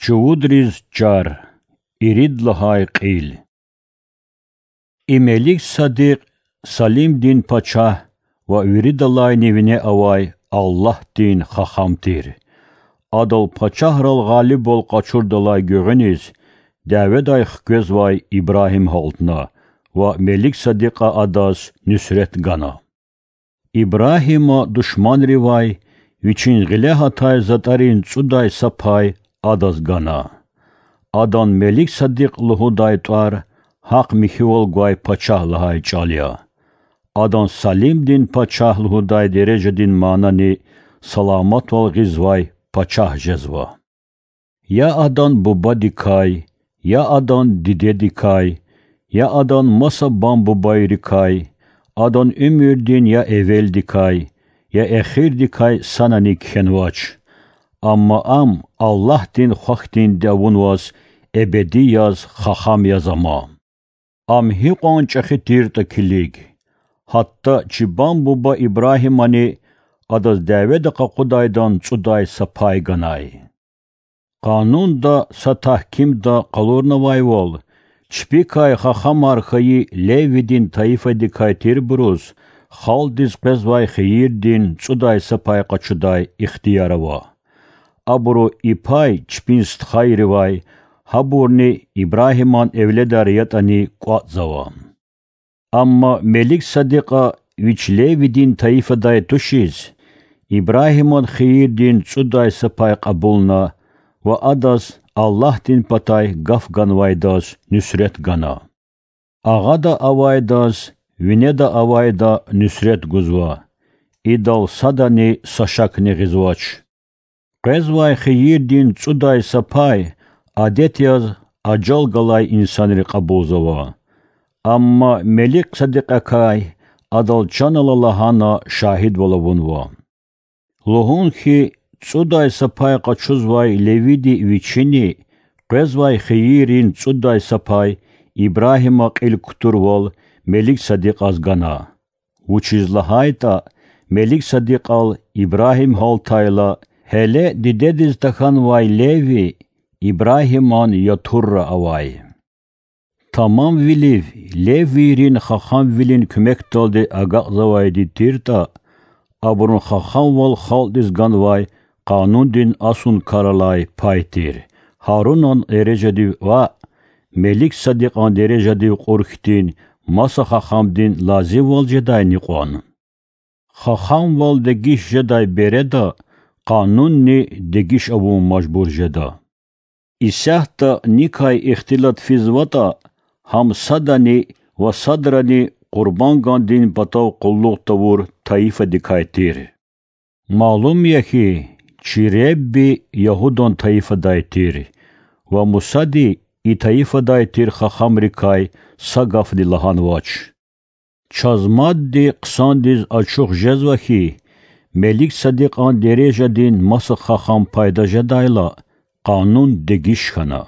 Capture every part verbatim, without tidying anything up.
Чувудриз чар. Ирид лагьай кьил. И Мелик-Садикь Салимдин пачагь ва виридалайни вине авай Аллагьдин хахам тир. Адал пачагьрал гъалибвал къачурдалай гуьгъуьниз дяведай хквезвай Ибрагьим гьалтна ва Мелик-Садикьа адаз нуьсрет гана. Ибрагьима душманривай вичин гъиле гьатай затӀарин цӀудай са пай адаз гана. Адан Мелик-Садикь лугьудай тӀвар гьахъ-михьивал гвай пачагь лагьай чӀал я. Адан Салимдин пачагь лугьудай дережадин манани саламатвал гъизвай пачагь жезва. Я адан бубадикай, я адан дидедикай, я адан маса бам-бубайрикай, адан уьмуьрдин я эвелдикай, я эхирдикай санани кхьенвач. Амма ам Аллагьдин хвахьдинди авунваз эбеди яз хахам яз ама. Ам гьикьван чӀехи тиртӀа килиг. Гьатта чи бам-буба Ибрагьимани адаз дяведа къакъудайдан цӀудай са пай ганай. Къанунда са тагькимда къалурнавайвал, чпикай хахамар хьайи Левидин тайифадикай тирбуруз халкьдиз къвезвай хийирдин цӀудай са пай къачудай ихтияр ава. Абуру и пай чпин стхайривай, гьабурни Ибрагьиман эвледар ятӀани кӀватӀзава. Амма Мелик-Садикьа вич Левидин тайифадай тушиз, Ибрагьиман хийирдин цӀудай са пай кьабулна ва адаз Аллагьдин патай гаф ганвайдаз нуьсрет гана. Агъада авайдаз винеда авайда нуьсрет гузва, идал садани са шакни гъизвач. Къвезвай хийирдин цӀудай са пай адет яз ажал галай инсанри кьабулзава. Амма Мелик-Садикьакай адал чан ала лагьана шагьидвал авунва. Лугьун хьи, цӀудай са пай къачузвай Левиди вичини къвезвай хийиррин цӀудай са пай Ибрагьима кьил кутурвал Мелик-Садикьаз гана. Вучиз лагьайтӀа Мелик-Садикьал Ибрагьим гьалтайла, гьеле дидедиз тахьанвай Леви Ибрагьиман ятурра авай. Тамамвилив Левийрин хахамвилин куьмекдалди агакьзавайди тиртӀа, абурун хахамвал халкьдиз ганвай къанундин асункаралай пай тир, Гьарунан дережадив ваъ, Мелик-Садикьан дережадив кьур хьтин маса хахамдин лазимвал жедайни кьван. Хахамвал дегиш жедай береда къанунни дегиш авун мажбур жеда. Исятда никай ихтилат физватӀа, гьам садани ва садрани къурбанд гандин патав къуллугъ тавур тайифадикай тир. Малум я хьи, чи Ребби ягьудан тайифадай тир, ва Мусади и тайифадай тир хахамрикай са гафни лагьанвач. Чаз мадни хъсандиз ачух жезва хьи, Мелик-Садикьан дережадин маса хахам пайда жедайла, къанун дегиш хьана.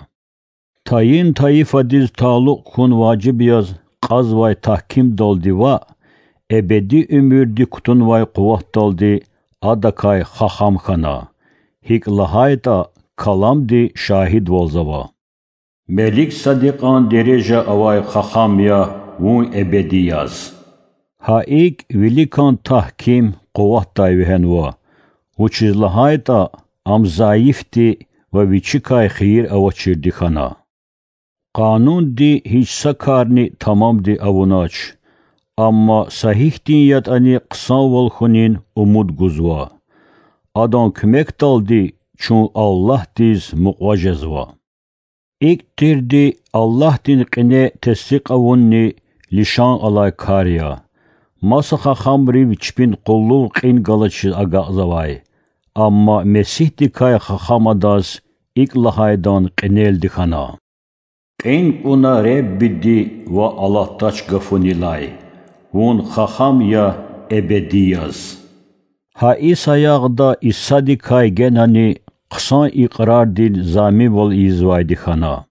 Тайин тайифадиз талукь хьун важиб яз кьазвай тагькимдалди ваъ, эбеди уьмуьрди кутунвай къуватдалди адакай хахам хьана, гьикӀ лагьайтӀа Каламди шагьидвалзава: Мелик-Садикьан дережа авай хахам я вун эбеди яз. Гьа икӀ виликан тагьким къуватдай вегьенва, вучиз лагьайтӀа ам зайифди ва вичикай хийир авачирди хьана. Къанунди гьич са карни тамамди авунач, амма са гьихьтин ятӀани хъсанвал хьунин умуд гузва. Адан куьмекдалди чун Аллагьдиз мукьва жезва. ИкӀ тирди Аллагьдин кьине тестикь авунни лишан алай кар я. Маса хахамрив чпин къуллугъ кьин галачиз агакьзавай, амма Месигьдикай хахам адаз икӀ лагьайдан кьинелди хьана: Кьин кьуна Реббиди ва алатдач гафунилай, вун хахам я эбеди яз. Гьа и саягъда Исадикай генани хъсан икьрардин заминвал ийизвайди хьана.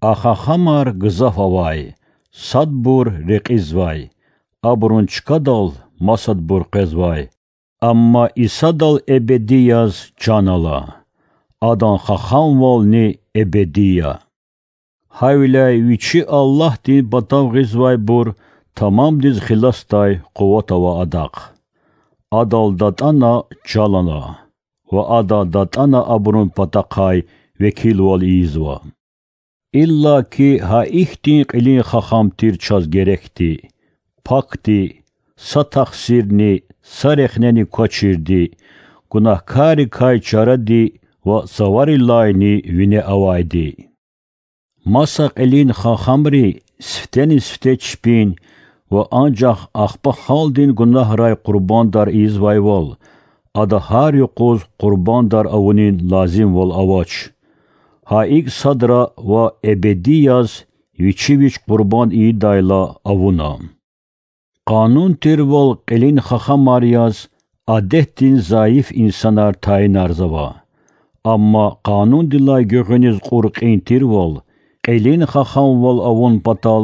А хахамар гзаф авай, садбур рекьизвай, абурун чкадал масадбур къвезвай, амма Исадал эбеди яз чан ала. Адан хахамвални эбеди я. Гьавиляй Вичи Аллагьдин патав гъизвайбур тамамдиз хиласдай къуват ава Адахъ. Адал датӀана чалана ва Ада датӀана абурун патахъай векилвал ийизва. Иллаки гьа ихьтин кьилин хахам тир чаз герекди, пакди, са тахсирни, са рехнени квачирди, гунагькаррикай чаради ва цаварилайни вине авайди. Маса кьилин хахамри сифтени-сифте чпин ва анжах ахпа халкьдин гунагьрай къурбандар ийизвайвал, ада гьар юкъуз къурбандар авунин лазимвал авач, гьа икӀ садра ва эбеди яз вичи вич къурбанд ийидайла авуна. Къанун тирвал кьилин хахамар яз адетдин зайиф инсанар тайинарзава. Амма къанундилай гуьгъуьниз кьур кьин тирвал, кьилин хахамвал авун патал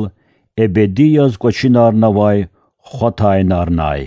эбеди яз кӀвачинарнавай хва тайинарнай.